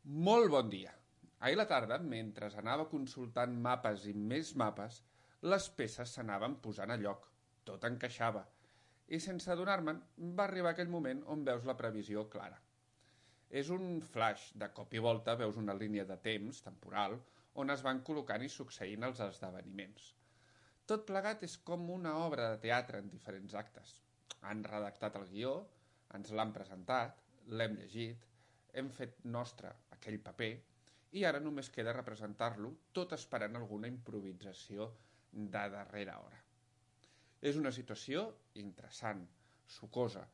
Molt bon dia. Ahir a la tarda, mentre anava consultant mapes i més mapes, les peces s'anaven posant a lloc. Tot encaixava. I sense adonar-me'n, va arribar aquell moment on veus la previsió clara. És un flash, de cop i volta veus una línia de temps, temporal, on es van col·locant i succeint els esdeveniments. Tot plegat és com una obra de teatre en diferents actes. Han redactat el guió, ens l'han presentat, l'hem llegit, hem fet nostre aquell paper i ara només queda representar-lo, tot esperant alguna improvisació de darrera hora. És una situació interessant, sucosa,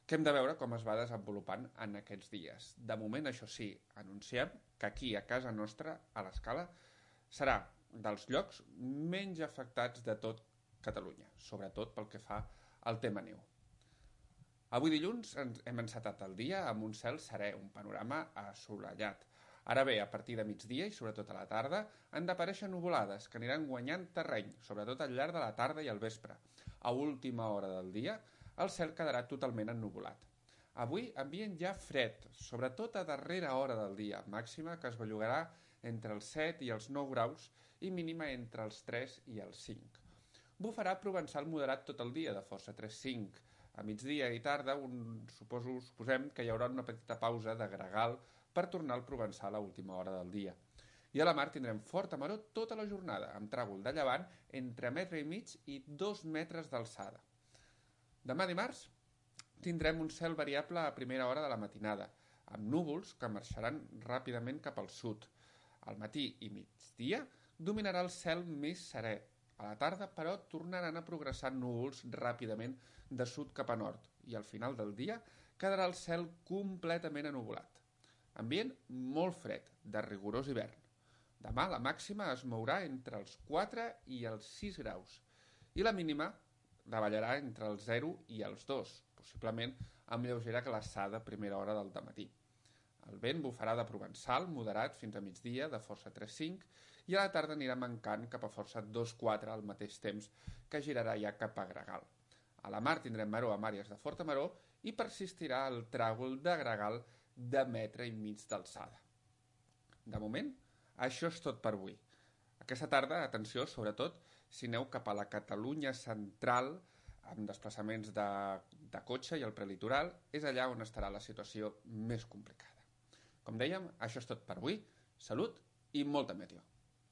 que hem de veure com es va desenvolupant en aquests dies. De moment, això sí, anunciem que aquí, a casa nostra, a l'Escala, serà dels llocs menys afectats de tot Catalunya, sobretot pel que fa al tema neu. Avui dilluns hem encetat el dia amb un cel serè, un panorama assolellat. Ara bé, a partir de migdia i sobretot a la tarda, han d'aparèixer nuvolades que aniran guanyant terreny, sobretot al llarg de la tarda i al vespre. A última hora del dia, el cel quedarà totalment ennuvolat. Avui ambient ja fred, sobretot a darrera hora del dia, màxima que es bellugarà entre els 7 i els 9 graus i mínima entre els 3 i els 5. Bufarà provençal moderat tot el dia, de força 3-5. A migdia i tarda suposem que hi haurà una petita pausa de gregal per tornar al provençal a última hora del dia. I a la mar tindrem forta maror tota la jornada, amb tràgol de llevant entre 1,5 metres i 2 metres d'alçada. Demà dimarts tindrem un cel variable a primera hora de la matinada, amb núvols que marxaran ràpidament cap al sud. Al matí i migdia dominarà el cel més serè. A la tarda, però, tornaran a progressar núvols ràpidament de sud cap a nord i al final del dia quedarà el cel completament ennuvolat. Ambient molt fred, de rigorós hivern. Demà la màxima es mourà entre els 4 i els 6 graus i la mínima davallarà entre els 0 i els 2, possiblement amb lleugera glaçada a primera hora del dematí. El vent bufarà de provençal, moderat fins a migdia, de força 3-5, i a la tarda anirà mancant cap a força 2-4 al mateix temps, que girarà ja cap a gregal. A la mar tindrem maror amb àrees de forta maror i persistirà el tràgol de gregal de 1,5 metres d'alçada. De moment, això és tot per avui. Aquesta tarda, atenció, sobretot, si aneu cap a la Catalunya central, amb desplaçaments de cotxe i el prelitoral, és allà on estarà la situació més complicada. Com dèiem, això és tot per avui. Salut i molta meteo.